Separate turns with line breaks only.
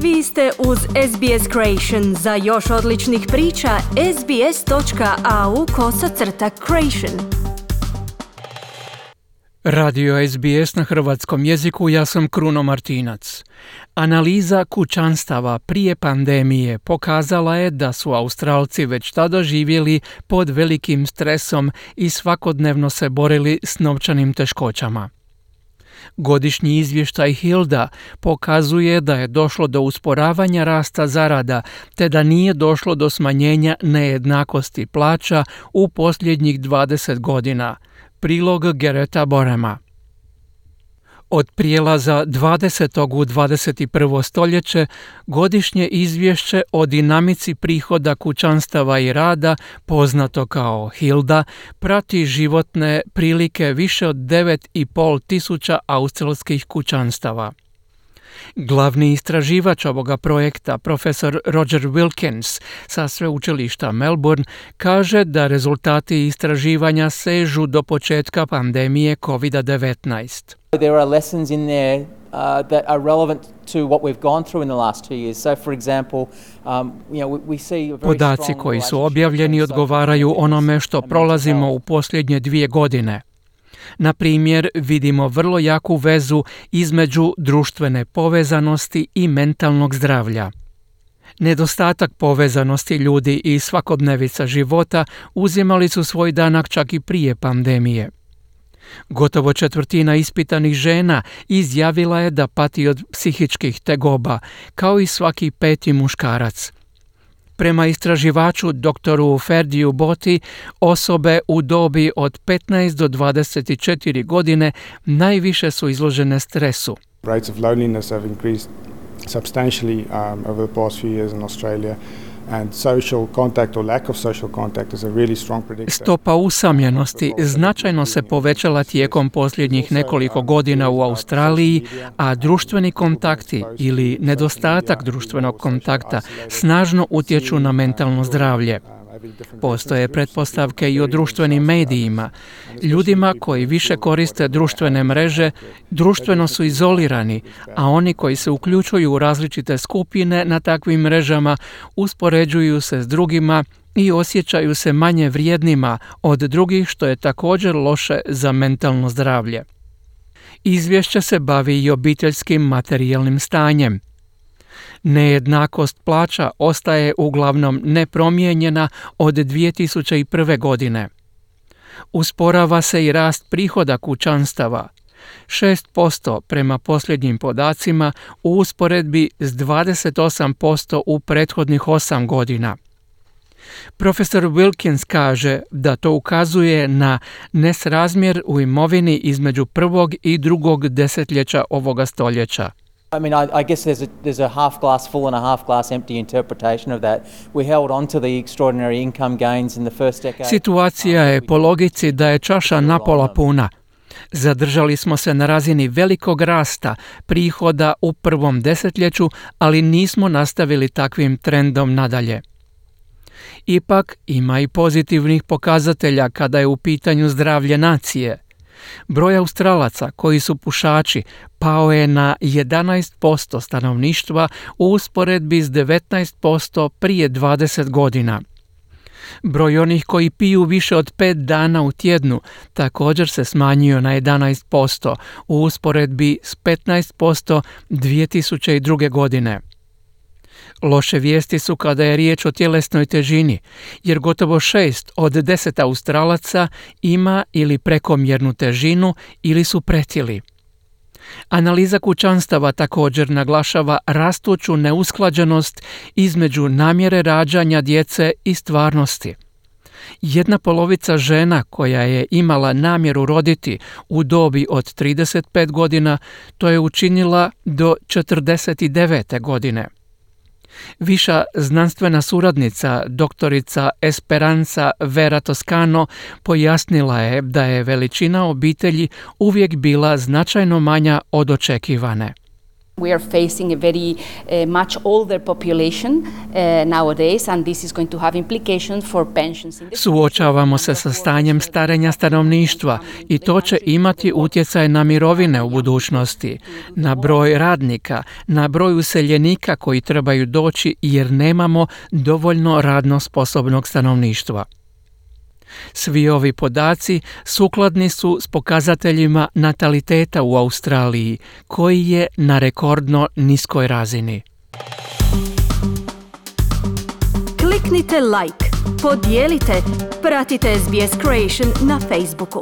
Vi ste uz SBS Creation. Za još odličnih priča, sbs.au/creation.
Radio SBS na hrvatskom jeziku, ja sam Kruno Martinac. Analiza kućanstava prije pandemije pokazala je da su Australci već tada živjeli pod velikim stresom i svakodnevno se borili s novčanim teškoćama. Godišnji izvještaj Hilda pokazuje da je došlo do usporavanja rasta zarada, te da nije došlo do smanjenja nejednakosti plaća u posljednjih 20 godina. Prilog Gereta Borema. Od prijelaza 20. u 21. stoljeće godišnje izvješće o dinamici prihoda kućanstava i rada, poznato kao Hilda, prati životne prilike više od 9,5 tisuća australskih kućanstava. Glavni istraživač ovoga projekta, profesor Roger Wilkins sa sveučilišta Melbourne, kaže da rezultati istraživanja sežu do početka pandemije COVID-19.
There are lessons in there that are relevant to what we've gone through in the last 2 years. So, for example, we see a very
Podaci koji su objavljeni odgovaraju onome što prolazimo u posljednje 2 godine. Na primjer, vidimo vrlo jaku vezu između društvene povezanosti i mentalnog zdravlja. Nedostatak povezanosti ljudi i svakodnevica života uzimali su svoj danak čak i prije pandemije. Gotovo 1/4 ispitanih žena izjavila je da pati od psihičkih tegoba, kao i svaki 5. muškarac. Prema istraživaču doktoru Ferdiju Boti, osobe u dobi od 15 do 24 godine najviše su izložene stresu.
Rates of loneliness have increased substantially over the past few years in Australia. And social contact or lack of social contact is a really strong predictor.
Stopa usamljenosti značajno se povećala tijekom posljednjih nekoliko godina u Australiji, a društveni kontakti ili nedostatak društvenog kontakta snažno utječu na mentalno zdravlje. Postoje pretpostavke i o društvenim medijima. Ljudima koji više koriste društvene mreže društveno su izolirani, a oni koji se uključuju u različite skupine na takvim mrežama uspoređuju se s drugima i osjećaju se manje vrijednima od drugih, što je također loše za mentalno zdravlje. Izvješće se bavi i obiteljskim materijalnim stanjem. Nejednakost plaća ostaje uglavnom nepromijenjena od 2001. godine. Usporava se i rast prihoda kućanstava, 6% prema posljednjim podacima u usporedbi s 28% u prethodnih 8 godina. Profesor Wilkins kaže da to ukazuje na nesrazmjer u imovini između prvog i drugog desetljeća ovoga stoljeća.
I mean, I guess there's a half glass full and a half glass empty interpretation of that. We held on to the extraordinary income gains in the first decade.
Situacija je po logici da je čaša napola puna. Zadržali smo se na razini velikog rasta prihoda u prvom desetljeću, ali nismo nastavili takvim trendom nadalje. Ipak ima i pozitivnih pokazatelja kada je u pitanju zdravlje nacije. Broj Australaca koji su pušači pao je na 11% stanovništva u usporedbi s 19% prije 20 godina. Broj onih koji piju više od 5 dana u tjednu također se smanjio na 11% u usporedbi s 15% 2002. godine. Loše vijesti su kada je riječ o tjelesnoj težini, jer gotovo 6 od 10 Australaca ima ili prekomjernu težinu ili su pretili. Analiza kućanstava također naglašava rastuću neusklađenost između namjere rađanja djece i stvarnosti. 1/2 žena koja je imala namjeru roditi u dobi od 35 godina, to je učinila do 49. godine. Viša znanstvena suradnica, doktorica Esperanza Vera Toscano, pojasnila je da je veličina obitelji uvijek bila značajno manja od očekivane.
We are facing a very much older population nowadays, and this is going to have implications for pensions.
Suočavamo se sa stanjem starenja stanovništva i to će imati utjecaj na mirovine u budućnosti, na broj radnika, na broj useljenika koji trebaju doći jer nemamo dovoljno radno sposobnog stanovništva. Svi ovi podaci sukladni su s pokazateljima nataliteta u Australiji, koji je na rekordno niskoj razini.
Kliknite like, podijelite, pratite SBS Creation na Facebooku.